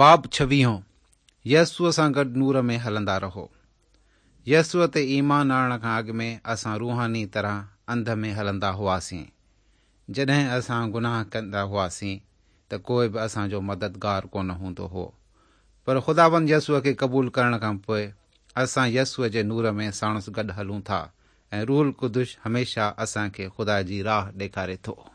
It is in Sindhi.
باب ڇويهون، يسوع سان گڏ نور ۾ هلندا رهو. يسوع تي ايمان آڻڻ کان اڳ ۾ اسان روحاني طرح انڌ ۾ هلندا هئاسين. جڏهن اسان گناهه ڪندا هئاسين ته ڪوئي به اسان جو مددگار ڪونه هوندو هو. پر خداوند يسوع کي قبول ڪرڻ کان پوء اسان يسوع جي نور ۾ ساڻس گڏ هلون ٿا ۽ روح القدس هميشه اسان کي خدا جي راهه ڏيکاري ٿو.